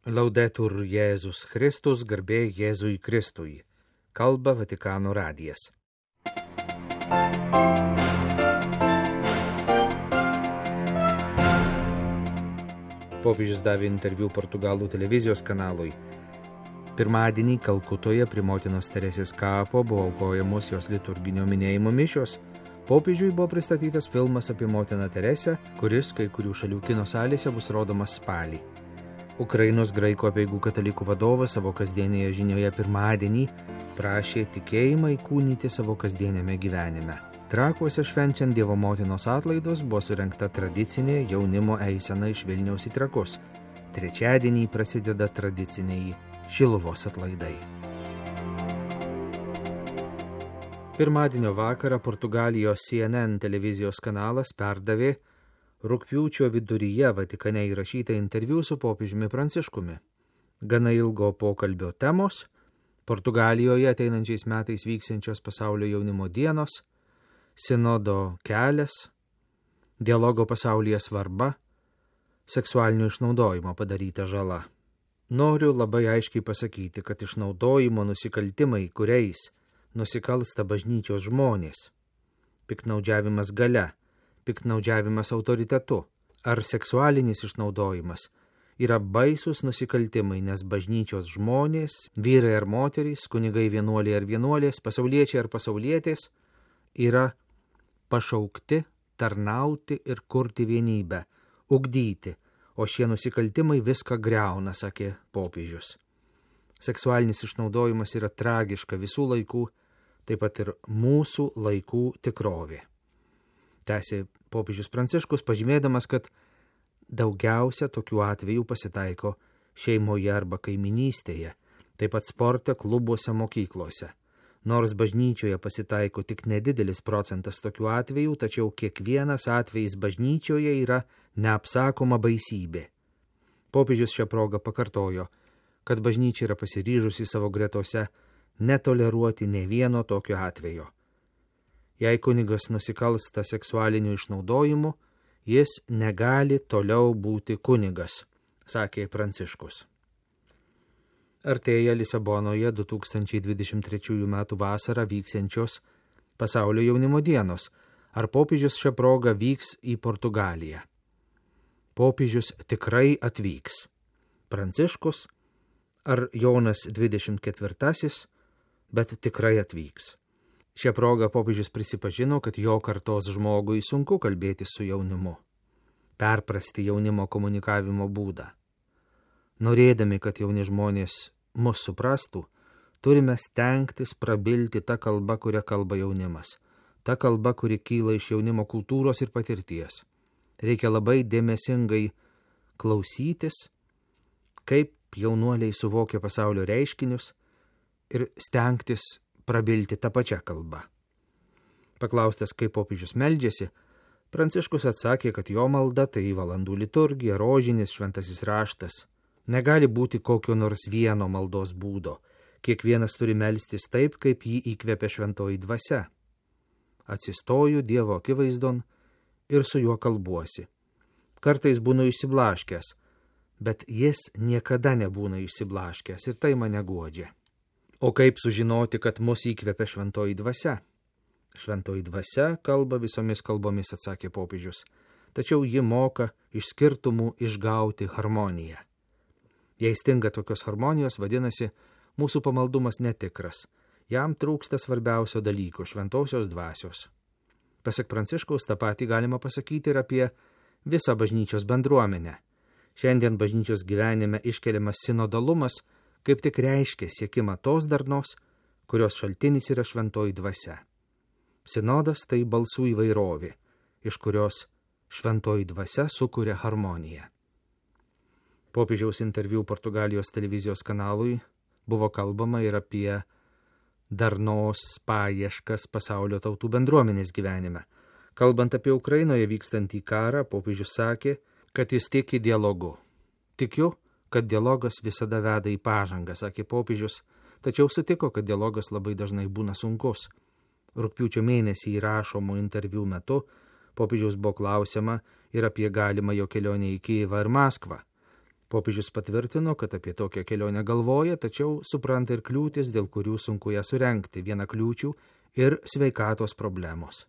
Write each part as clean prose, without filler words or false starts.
Laudetur Jėzus Kristus, garbė Jėzui Kristui. Kalba Vatikano radijas. Popiežius davė interviu Portugalų televizijos kanalui. Pirmadienį Kalkutoje prie motinos Teresės kapo buvo aukojamos jos liturginio minėjimo mišios. Popiežiui buvo pristatytas filmas apie motiną Teresę, kuris kai kurių šalių kino salėse bus rodomas spalį. Ukrainos graikų apeigų katalikų vadovas savo kasdienėje žinioje pirmadienį prašė tikėjimą įkūnyti savo kasdienėme gyvenime. Trakuose švenčiant Dievo motinos atlaidus buvo surengta tradicinė jaunimo eisena iš Vilniaus į Trakus. Trečiadienį prasideda tradiciniai Šiluvos atlaidai. Pirmadienio vakarą Portugalijos CNN televizijos kanalas perdavė rugpjūčio viduryje Vatikane įrašytą interviu su popiežiumi Pranciškumi. Gana ilgo pokalbio temos – Portugalijoje ateinančiais metais vyksiančios pasaulio jaunimo dienos, sinodo kelias, dialogo pasaulyje svarba, seksualinio išnaudojimo padaryta žala. Noriu labai aiškiai pasakyti, kad išnaudojimo nusikaltimai, kuriais nusikalsta bažnyčios žmonės, piktnaudžiavimas galia, piktnaudžiavimas autoritetu ar seksualinis išnaudojimas yra baisus nusikaltimai, nes bažnyčios žmonės, vyrai ar moterys, kunigai vienuoliai ar vienuolės, pasauliečiai ar pasaulietės yra pašaukti tarnauti ir kurti vienybę, ugdyti, o šie nusikaltimai viską griauna, sakė popiežius. Seksualinis išnaudojimas yra tragiška visų laikų, taip pat ir mūsų laikų tikrovė. Tęsė popiežius Pranciškus, pažymėdamas, kad daugiausia tokių atvejų pasitaiko šeimoje arba kaiminystėje, taip pat sporte, klubuose, mokyklose. Nors bažnyčioje pasitaiko tik nedidelis procentas tokių atvejų, tačiau kiekvienas atvejis bažnyčioje yra neapsakoma baisybė. Popiežius šią progą pakartojo, kad bažnyčia yra pasiryžusi savo gretose netoleruoti nė vieno tokio atvejo. Jei kunigas nusikalsta seksualiniu išnaudojimu, jis negali toliau būti kunigas, sakė Pranciškus. Artėja Lisabonoje 2023 m. vasarą vyksiančios pasaulio jaunimo dienos. Ar popiežius šią progą vyks į Portugaliją? Popiežius tikrai atvyks. Pranciškus ar Jonas 24, bet tikrai atvyks. Šią progą popiežius prisipažino, kad jo kartos žmogui sunku kalbėti su jaunimu, perprasti jaunimo komunikavimo būdą. Norėdami, kad jauni žmonės mus suprastų, turime stengtis prabilti tą kalbą, kurią kalba jaunimas, tą kalbą, kuri kyla iš jaunimo kultūros ir patirties. Reikia labai dėmesingai klausytis, kaip jaunuoliai suvokia pasaulio reiškinius ir stengtis prabilti tą pačią kalbą. Paklaustas, kaip popiežius meldžiasi, Pranciškus atsakė, kad jo malda tai valandų liturgija, rožinis, šventasis raštas. Negali būti kokio nors vieno maldos būdo. Kiekvienas turi melstis taip, kaip jį įkvepia šventoji dvasia. Atsistoju Dievo akivaizdon ir su juo kalbuosi. Kartais būnu išsiblaškęs, bet jis niekada nebūna išsiblaškęs ir tai mane guodžia. O kaip sužinoti, kad mus įkvepia šventoji dvasia? Šventoji dvasia kalba visomis kalbomis, atsakė popiežius, tačiau ji moka iš skirtumų išgauti harmoniją. Jei stinga tokios harmonijos, vadinasi, mūsų pamaldumas netikras. Jam trūksta svarbiausio dalyko – šventosios dvasios. Pasak Pranciškaus, tą patį galima pasakyti ir apie visą bažnyčios bendruomenę. Šiandien bažnyčios gyvenime iškeliamas sinodalumas – kaip tik reiškia siekimą tos darnos, kurios šaltinis yra šventoji dvasia. Sinodas tai balsų įvairovė, iš kurios šventoji dvasia sukuria harmoniją. Popiežiaus interviu Portugalijos televizijos kanalui buvo kalbama ir apie darnos paieškas pasaulio tautų bendruomenės gyvenime. Kalbant apie Ukrainoje vykstantį karą, popiežius sakė, kad jis tiki dialogu. Tikiu, kad dialogas visada veda į pažangą, sakė popiežius, tačiau sutiko, kad dialogas labai dažnai būna sunkus. Rugpjūčio mėnesį įrašomų interviu metu popiežiaus buvo klausiama ir apie galimą jo kelionę į Kijevą ir Maskvą. Popiežius patvirtino, kad apie tokią kelionę galvoja, tačiau supranta ir kliūtis, dėl kurių sunku ją surengti, viena kliūčių ir sveikatos problemos.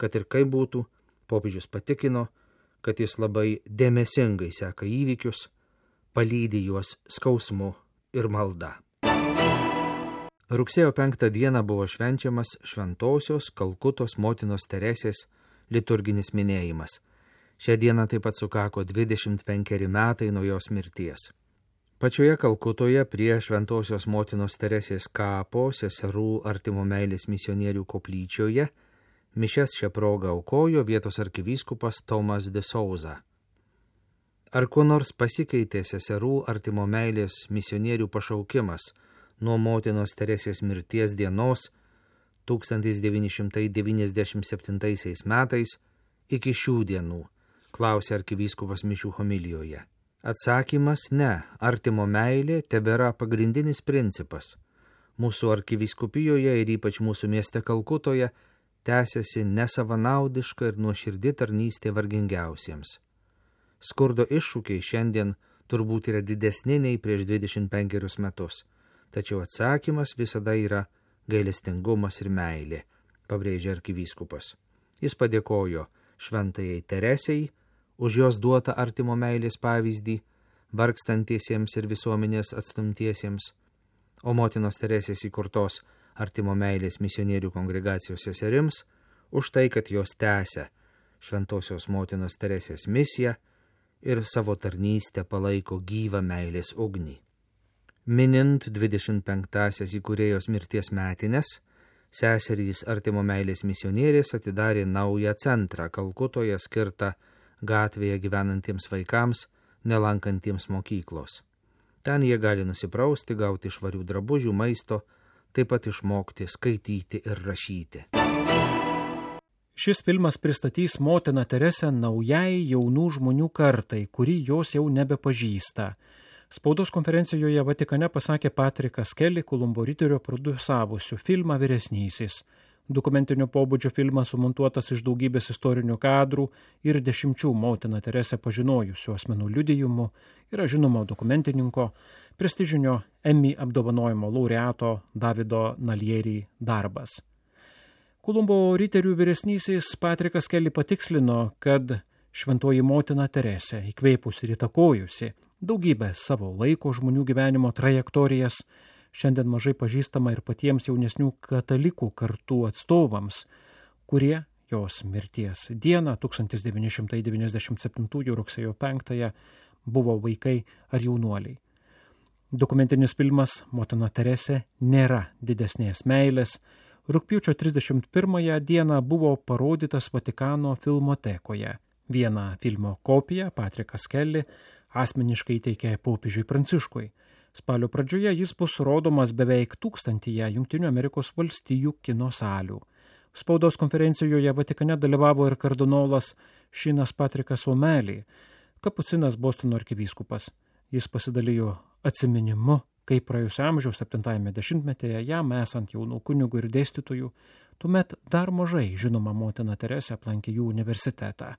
Kad ir kaip būtų, popiežius patikino, kad jis labai dėmesingai seka įvykius, palydi juos skausmu ir malda. Rugsėjo 5 dieną buvo švenčiamas Šventosios Kalkutos motinos Teresės liturginis minėjimas. Šią dieną taip pat sukako 25 metai nuo jos mirties. Pačioje Kalkutoje prie Šventosios motinos Teresės kapo seserų artimo meilės misionierių koplyčioje mišias šią progą aukojo vietos arkivyskupas Tomas de Souza. Ar kuo nors pasikeitė seserų artimo meilės misionierių pašaukimas nuo motinos Teresės mirties dienos 1997 metais iki šių dienų, klausė arkivyskupas mišių homilijoje. Atsakymas ne, artimo meilė tebėra pagrindinis principas. Mūsų arkivyskupijoje ir ypač mūsų mieste Kalkutoje tęsiasi nesavanaudiška ir nuoširdi tarnystė vargingiausiems. Skurdo iššūkiai šiandien turbūt yra didesni nei prieš 25 metus, tačiau atsakymas visada yra gailestingumas ir meilė, pabrėžė arkivyskupas. Jis padėkojo šventajai Teresei už jos duotą artimo meilės pavyzdį vargstantiesiems ir visuomenės atstumtiesiems, o motinos Teresės įkurtos artimo meilės misionierių kongregacijos seserims už tai, kad jos tęsia Šventosios motinos Teresės misiją ir savo tarnystę palaiko gyvą meilės ugnį. Minint 25-asias įkūrėjos mirties metines, seserys artimo meilės misionierės atidarė naują centrą Kalkutoje skirtą gatvėje gyvenantiems vaikams, nelankantiems mokyklos. Ten jie gali nusiprausti, gauti švarių drabužių, maisto, taip pat išmokti skaityti ir rašyti. Šis filmas pristatys motiną Teresę naujai jaunų žmonių kartai, kuri jos jau nebepažįsta. Spaudos konferencijoje Vatikane pasakė Patrikas Kelly, Kolumbo Riterio produsavusių filmą Vyresnysis. Dokumentinio pobūdžio filmas sumontuotas iš daugybės istorinių kadrų ir 10 motiną Teresę pažinojusių asmenų liudijimų, yra žinomo dokumentininko, prestižinio Emmy apdovanojimo laureato Davido Nalieri darbas. Kolumbo Riterių vyresnysis Patrikas Kelly patikslino, kad šventoji motina Teresė, įkvėpusi ir įtakojusi daugybę savo laiko žmonių gyvenimo trajektorijas, šiandien mažai pažįstama ir patiems jaunesnių katalikų kartų atstovams, kurie jos mirties dieną 1997 rugsėjo 5 buvo vaikai ar jaunuoliai. Dokumentinis filmas Motina Teresė nėra didesnės meilės rugpjūčio 31 dieną buvo parodytas Vatikano filmotekoje. Vieną filmo kopiją Patrikas Kelly asmeniškai įteikė popiežiui Pranciškui. Spalio pradžioje jis bus rodomas beveik 1000 Jungtinių Amerikos valstijų kino salių. Spaudos konferencijoje Vatikane dalyvavo ir kardinolas Šinas Patrikas O'Malley, kapucinas Bostono arkivyskupas. Jis pasidalijo atsiminimu, kaip praėjusio amžiaus 70-metyje jam esant jaunų kunigų ir dėstytojų, tuomet dar mažai žinoma motina Teresė aplankė jų universitetą.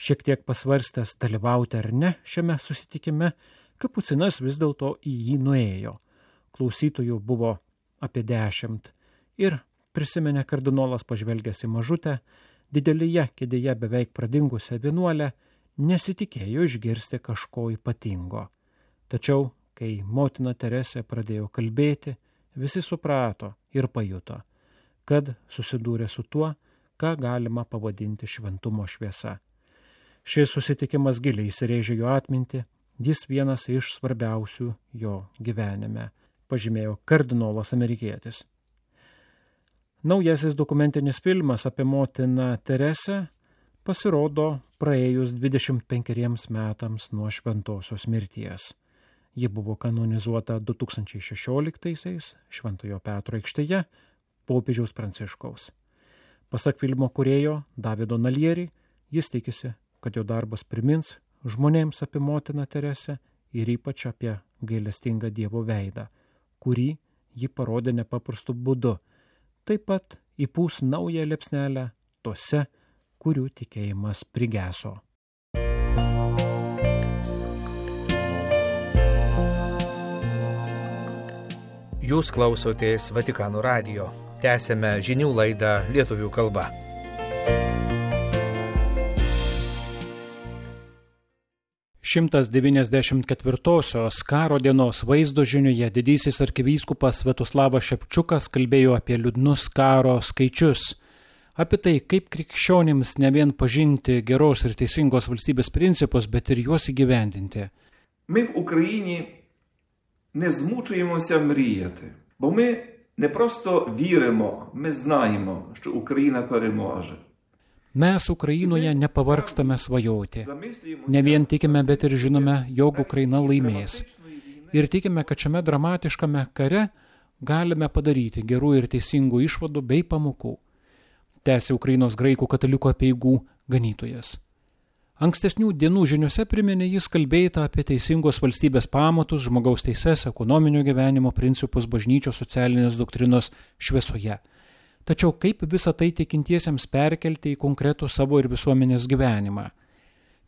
Šiek tiek pasvarstęs dalyvauti ar ne šiame susitikime, kapucinas vis dėlto į jį nuėjo. Klausytojų buvo apie 10 ir, prisiminė kardinolas pažvelgęs į mažutę, didelėje kėdėje beveik pradingusią vienuolę, nesitikėjo išgirsti kažko ypatingo. Tačiau, kai motina Teresė pradėjo kalbėti, visi suprato ir pajuto, kad susidūrė su tuo, ką galima pavadinti šventumo šviesa. Šis susitikimas giliai įsirėžė jo atmintį, jis vienas iš svarbiausių jo gyvenime, pažymėjo kardinolas amerikietis. Naujasis dokumentinis filmas apie motiną Teresę pasirodo praėjus 25 metams nuo šventosios mirties. Ji buvo kanonizuota 2016 Šventojo Petro aikštėje popiežiaus Pranciškaus. Pasak filmo kūrėjo Davido Nalieri, jis tikisi, kad jo darbas primins žmonėms apie motiną Teresę ir ypač apie gailestingą Dievo veidą, kurį ji parodė nepaprastu būdu, taip pat įpūs naują liepsnelę tose, kurių tikėjimas prigeso. Jūs klausotės Vatikano radijo. Tęsėme žinių laidą lietuvių kalba. Šimtas 94-osios karo dienos vaizdo žinioje didysis arkivyskupas Sviatoslavas Šepčiukas kalbėjo apie liūdnus karo skaičius, apie tai, kaip krikščionims ne vien pažinti geros ir teisingos valstybės principus, bet ir juos įgyvendinti. Ми в Україні не змучуємося мріяти, бо ми не просто віримо, ми знаємо, що Україна переможе. Mes Ukrainoje nepavargstame svajoti. Ne vien tikime, bet ir žinome, jog Ukraina laimės. Ir tikime, kad šiame dramatiškame kare galime padaryti gerų ir teisingų išvadų bei pamokų. Tęsė Ukrainos graikų katalikų apeigų ganytojas. Ankstesnių dienų žiniuose priminė jis kalbėta apie teisingos valstybės pamatus, žmogaus teises, ekonominio gyvenimo principus bažnyčios socialinės doktrinos šviesoje. Tačiau kaip visą tai tikintiesiems perkelti į konkretų savo ir visuomenės gyvenimą?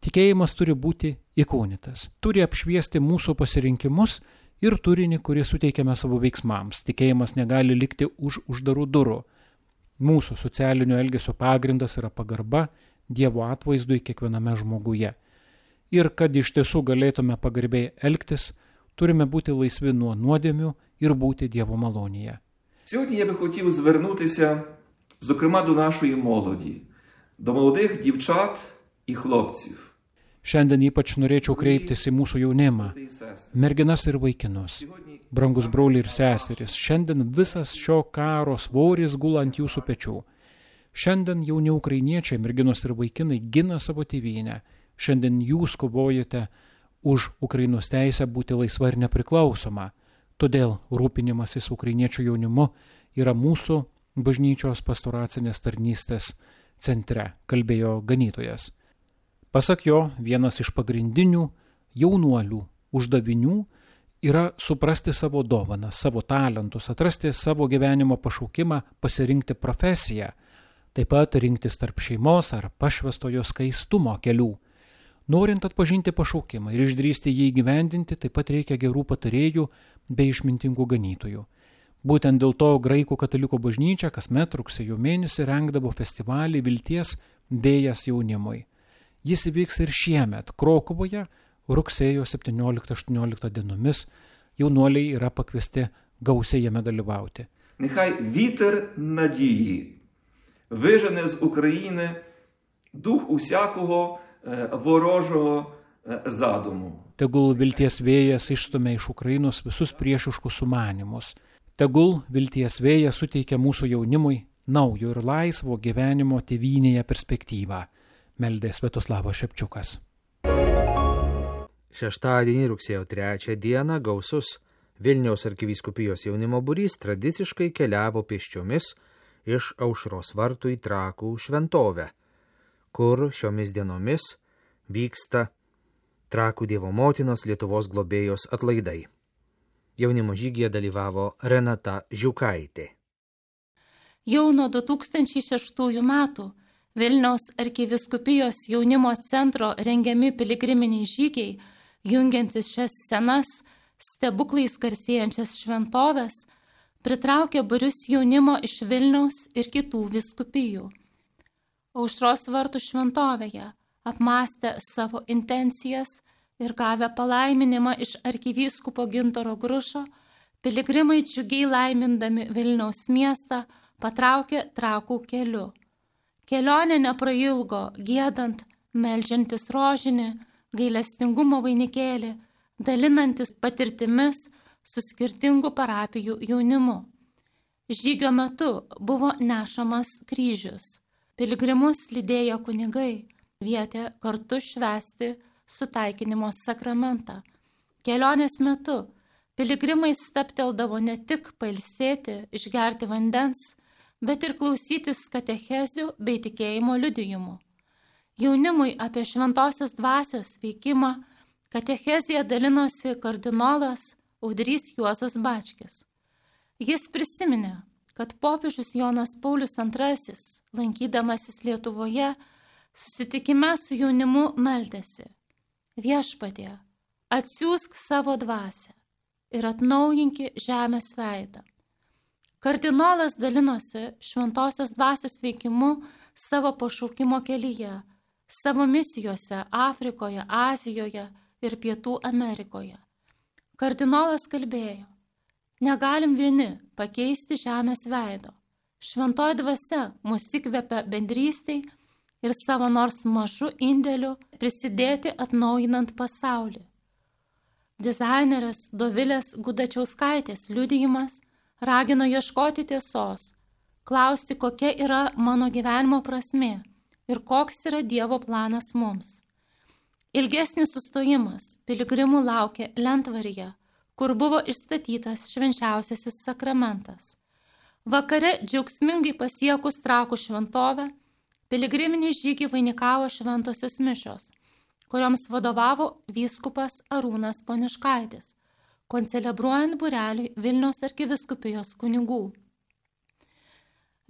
Tikėjimas turi būti įkūnytas, turi apšviesti mūsų pasirinkimus ir turinį, kurį suteikiame savo veiksmams. Tikėjimas negali likti už uždarų durų. Mūsų socialinio elgesio pagrindas yra pagarba Dievo atvaizdui kiekviename žmoguje. Ir kad iš tiesų galėtume pagarbiai elgtis, turime būti laisvi nuo nuodėmių ir būti Dievo malonėje. Сьогодні я би хотів звернутися, зокрема, до нашої молоді, до молодих дівчат і хлопців. Šiandien ypač norėčiau kreiptis į mūsų jaunimą, merginas ir vaikinus. Brangus broliai ir seserys, šiandien visas šio karo svoris gula ant jūsų pečių. Šiandien jauni ukrainiečiai, merginos ir vaikinai gina savo tėvynę. Šiandien jūs kovojate už Ukrainos teisę būti laisva ir nepriklausoma. Todėl rūpinimasis ukrainiečių jaunimu yra mūsų bažnyčios pastoracinės tarnystės centre, kalbėjo ganytojas. Pasak jo, vienas iš pagrindinių jaunuolių uždavinių yra suprasti savo dovaną, savo talentus, atrasti savo gyvenimo pašaukimą, pasirinkti profesiją, taip pat rinktis tarp šeimos ar pašvestojo skaistumo kelių. Norint atpažinti pašaukimą ir išdrįsti jį įgyvendinti, taip pat reikia gerų patarėjų bei išmintingų ganytojų. Būtent dėl to graikų katalikų bažnyčia kasmet rugsėjo mėnesį rengdavo festivalį Vilties vėjas jaunimui. Jis įvyks ir šiemet Krokuvoje rugsėjo 17-18 dienomis. Jaunuoliai yra pakviesti gausiai jame dalyvauti. Нехай вітер надії вижене з України дух усякого ворожого задуму. Tegul vilties vėjas išstumia iš Ukrainos visus priešiškus sumanimus. Tegul vilties vėjas suteikia mūsų jaunimui naujo ir laisvo gyvenimo tėvynėje perspektyvą. Meldė Sviatoslavas Šepčiukas. Šeštadienį rugsėjo 3 dieną gausus Vilniaus arkivyskupijos jaunimo būrys tradiciškai keliavo pėsčiomis iš Aušros vartų į Trakų šventovę, kur šiomis dienomis vyksta Trakų Dievo motinos Lietuvos globėjos atlaidai. Jaunimo žygyje dalyvavo Renata Žiukaitė. Jau nuo 2006 metų Vilniaus arkivyskupijos jaunimo centro rengiami piligriminiai žygiai, jungiantis šias senas, stebuklais garsėjančias šventoves, pritraukė būrius jaunimo iš Vilniaus ir kitų vyskupijų. Aušros vartų šventovėje, apmąstę savo intencijas ir gavę palaiminimą iš arkivyskupo Gintaro Grušo, piligrimai džiugiai laimindami Vilniaus miestą patraukė Trakų keliu. Kelionė neprailgo, giedant, meldžiantis rožinį, gailestingumo vainikėlį, dalinantis patirtimis su skirtingų parapijų jaunimu. Žygio metu buvo nešamas kryžius. Piligrimus lydėjo kunigai, kvietė kartu švęsti sutaikinimo sakramentą. Kelionės metu piligrimai stabteldavo ne tik pailsėti, išgerti vandens, bet ir klausytis katechezių bei tikėjimo liudijimų. Jaunimui apie šventosios dvasios veikimą katechezija dalinosi kardinolas Audrys Juozas Bačkis. Jis prisiminė, kad popiežius Jonas Paulius II, lankydamasis Lietuvoje, susitikime su jaunimu meldėsi: Viešpatie, atsiųsk savo dvasią ir atnaujinki žemės veidą. Kardinolas dalinosi šventosios dvasios veikimu savo pašaukimo kelyje, savo misijose Afrikoje, Azijoje ir Pietų Amerikoje. Kardinolas kalbėjo: negalim vieni pakeisti žemės veido. Šventoji dvasia mus įkvepia bendrystei ir savo nors mažu indėliu prisidėti atnaujinant pasaulį. Dizainerės Dovilės Gudačiauskaitės liudijimas ragino ieškoti tiesos, klausti, kokia yra mano gyvenimo prasmė ir koks yra Dievo planas mums. Ilgesnis sustojimas piligrimų laukė lentvaryje, kur buvo išstatytas švenčiausiasis sakramentas. Vakare džiaugsmingai pasiekus Trakų šventovę, piligriminį žygį vainikavo šventosios mišios, kurioms vadovavo vyskupas Arūnas Poniškaitis, koncelebruojant būreliui Vilniaus arkivyskupijos kunigų.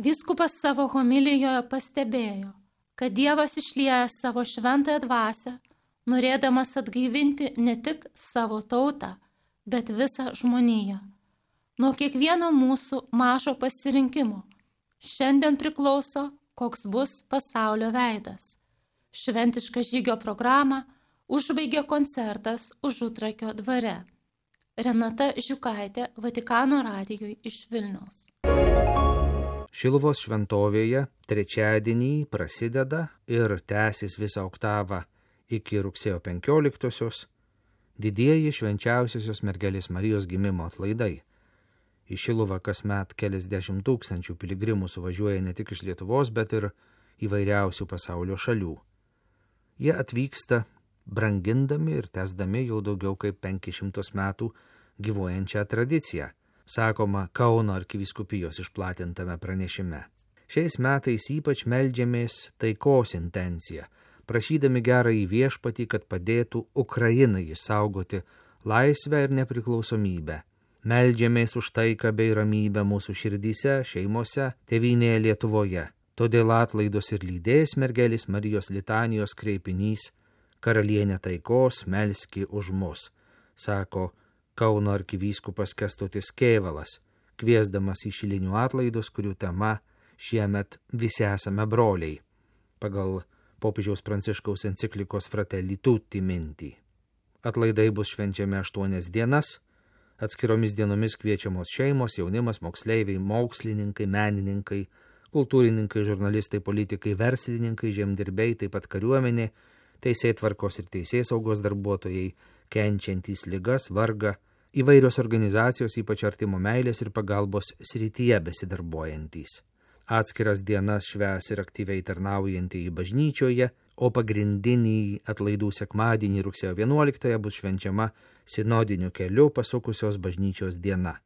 Vyskupas savo homilijoje pastebėjo, kad Dievas išlieja savo šventąją dvasią, norėdamas atgaivinti ne tik savo tautą, bet visą žmoniją. Nuo kiekvieno mūsų mažo pasirinkimo šiandien priklauso, koks bus pasaulio veidas. Šventišką žygio programą užbaigė koncertas Užutrakio dvare. Renata Žiukaitė, Vatikano radijui iš Vilniaus. Šiluvos šventovėje trečiadienį prasideda ir tęsis visą oktavą iki rugsėjo 15-osios didieji švenčiausiosios mergelės Marijos gimimo atlaidai. Į Šiluvą kasmet keliasdešimt tūkstančių piligrimų suvažiuoja ne tik iš Lietuvos, bet ir įvairiausių pasaulio šalių. Jie atvyksta brangindami ir tęsdami jau daugiau kaip 500 metų gyvuojančią tradiciją, sakoma Kauno arkivyskupijos išplatintame pranešime. Šiais metais ypač meldžiamės taikos intenciją, prašydami gerąjį viešpatį, kad padėtų Ukrainai išsaugoti laisvę ir nepriklausomybę. Meldžiamės už taiką bei ramybę mūsų širdyse, šeimose, tėvynėje Lietuvoje. Todėl atlaidus ir lydės mergelės Marijos litanijos kreipinys Karalienė taikos, melski už mus, sako Kauno arkivyskupas Kęstutis Kėvalas, kviesdamas į šilinių atlaidus, kurių tema šiemet visi esame broliai, pagal popiežiaus Pranciškaus enciklikos Fratelli Tutti mintį. Atlaidai bus švenčiami 8 dienas, atskiromis dienomis kviečiamos šeimos, jaunimas, moksleiviai, mokslininkai, menininkai, kultūrininkai, žurnalistai, politikai, verslininkai, žemdirbiai, taip pat kariuomenė, teisėtvarkos ir teisėsaugos darbuotojai, kenčiantys ligas, vargą, įvairios organizacijos, ypač artimo meilės ir pagalbos srityje besidarbuojantys. Atskiras dienas švęs ir aktyviai tarnaujantieji bažnyčioje, o pagrindinį atlaidų sekmadienį rugsėjo 11 bus švenčiama sinodiniu keliu pasukusios bažnyčios diena.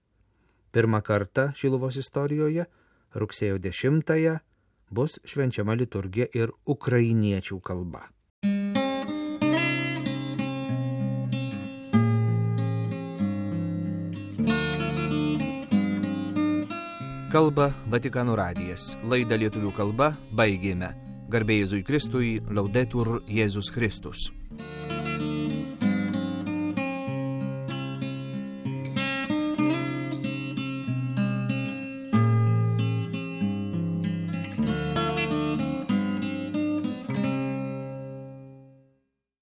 Pirmą kartą Šiluvos istorijoje rugsėjo 10 bus švenčiama liturgija ir ukrainiečių kalba. Kalba Vatikano radijas. Laidą lietuvių kalba baigėme. Garbė Jėzui Kristui, Laudetur Jėzus Kristus.